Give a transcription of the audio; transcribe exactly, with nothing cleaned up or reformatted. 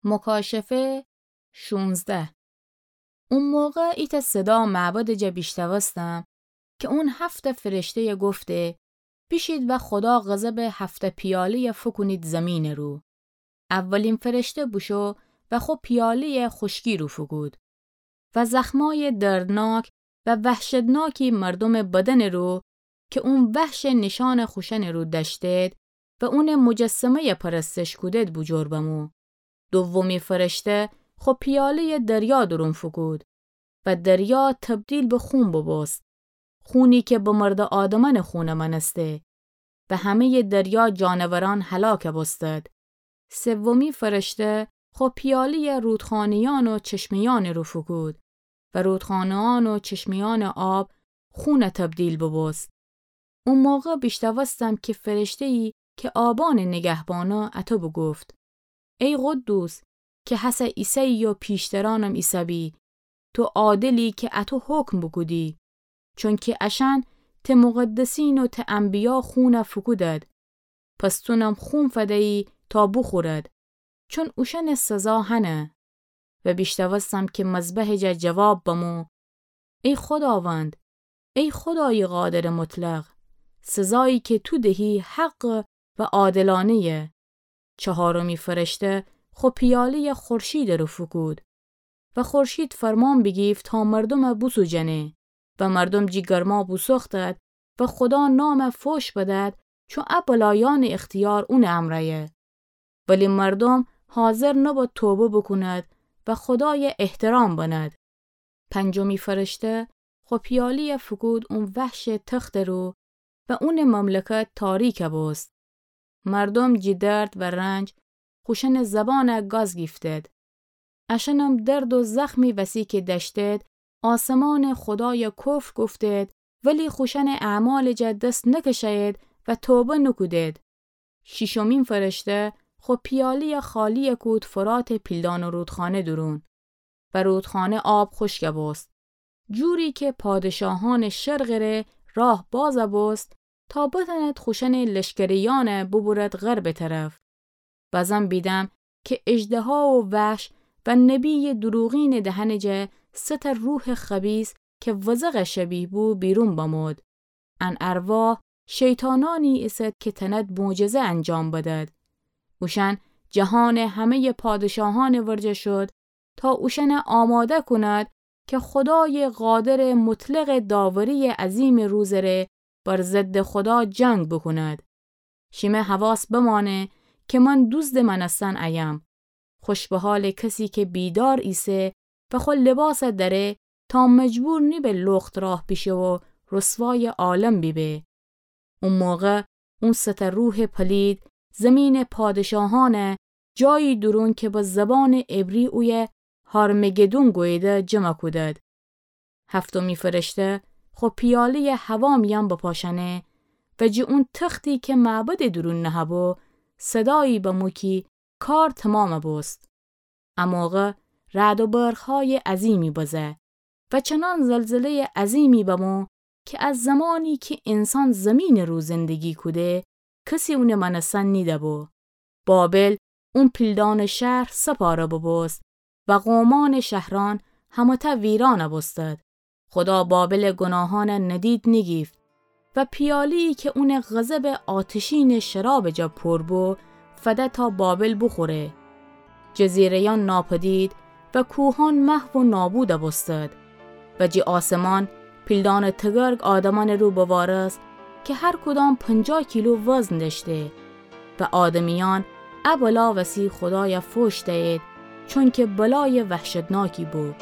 مکاشفه شونزده. او موقع ایتأ صدا معبدٚ جا بیشنوستم که اون هفتأ فرشته‌یه گفته: بیشید و خودا غضبٚ هفتأ پیاله‌یه فوکونید زیمینٚ رو. اولین فرشته بوشو و خو پیاله‌یه خوشکی رو فوکود و زخمای دردناک و وحشتناکی مردومٚ بدنٚ رو که اون وحشٚ نیشانٚ خوشأنٚ رو دأشتید و اونٚ مجسمه‌یه پرستش کودید بوجور بمو. دومی فرشته خو پیاله‌یه دریا دورون فوکود و دریا تبدیل به خون بوبوست، خونی که بمرده آدمأنٚ خونٚ مأنسته و همه‌یٚ دریا جانورأن هلاک بوستد. سومی فرشته خو پیاله‌یه رودخانه‌یأن و چشمه‌یأنٚ رو فوکود و رودخانه‌یأن و چشمه‌یأنٚ آب خون تبدیل بوبوست. او موقع بیشنوستم که فرشته‌یی که آبأنٚ نگهبانه اطو بوگفت: ای قدوس، که هسه ایسه‌یی و پیشترأنم ایسه‌بی، تو عادلی که اطو حکم بوکودی، چونکه اشأن ته مقدسین و ته انبیا خون فوکودد، پس تونم خون فدیی تا بوخورد، چون اوشأنٚ سزا هنه. و بیشنوستم که مذبحٚ جا جواب بمو: ای خوداوند، ای خودایٚ قادرٚ مطلق، سزایی که تو دهی حق و عادلانه‌یه. چهارمی فرشته خو پیاله‌یه خورشیدٚ رو فوکود و خورشید فرمان بیگیفت تا مردومه بوسوجنه و مردوم جی گرما بوسوختد و خودا نامه فوش بدد، چون ا بلایأنٚ اختیار اونٚ امرأیه. ولی مردوم حاضر نبد توبه بوکوند و خودایه احترام بند. پنجمی فرشته خو پیاله‌یه فوکود اون وحشٚ تختٚ رو و اونٚ مملکت تاریک بوست. مردوم جی درد و رنج خوشأنٚ زبانه گاز گیفتد. اشأنم درد و زخمی وسی که دأشتد، آسمانٚ خودایه کفر گفتد، ولی خوشأنٚ اعمالٚ جا دس نکشه‌ید و توبه نکودد. شیشمی فرشته خو پیاله‌یه خالی کود فراتٚ پیلدانٚ رودخانه دورون و رودخانه آب خوشک بوست، جوری که پادشاهانٚ شرقٚ ره راه باز بوست تا بتأند خوشأنٚ لشکریأنه ببرد غربٚ طرف. بزم بیدم که اژدها و وحش و نبییٚ دروغینٚ دهنٚ جا سه تأ روحٚ خبیث که وزغ شبیه بو بیرون بمود. ان ارواح شیطانأنی ایسد که تأند معجزه انجام بدد. اوشأن جهانٚ همه‌یٚ پادشاهأنٚ ورجه شد تا اوشأنه آماده کوند که خودایٚ قادرٚ مطلقٚ داورییٚ عظیمٚ روزٚ ره بر ضدٚ خودا جنگ بوکوند. شیمه حواس بمانه که من دوزدٚ مأنستن ایم. خوش به حالٚ کسی که بیدار ایسه و خو لباس دره تا مجبور نیبه لخت راه بیشه و رسوایٚ عالم بیبه. او موقع اون سه تأ روحٚ پلید زیمینٚ پادشاهأنه جایی دورون که به زبانٚ عبری اویه هارمگدون گوییده جمع کودد. هفتمی فرشته خو پیاله‌یه هوا میأن بپاشأنه و جٚه اون تختی که معبدٚ دورون نهه‌بو صدایی بمو کی کار تومام بوست. ا موقع رعد و برق‌هایٚ عظیمی بزه و چنان زلزله‌یٚ عظیمی بمو که از زمانی که انسان زیمینٚ رو زندگی کوده، کسی اونٚ مأنستن نیده‌بو. بابل اون پیلدانٚ شهر سه پاره ببوست و قومأنٚ شهرأن همه‌تأ ویران بوستد. خودا بابلٚ گوناهأنه ندید نیگیفت و پیاله‌یی که اونٚ غضبٚ آتشینٚ شرابٚ جا پور بو، فده تا بابل بوخوره. جزیره‌یأن ناپدید و کوهأن محو و نابود بوستد و جٚه آسمان پیلدانٚ تگرگ آدمأنٚ رو بوارست که هر کدام پنجاه کیلو وزن دأشته و آدمیأن ا بلا وسی خودایه فوش دیید، چونکه بلایٚ وحشتناکی بو.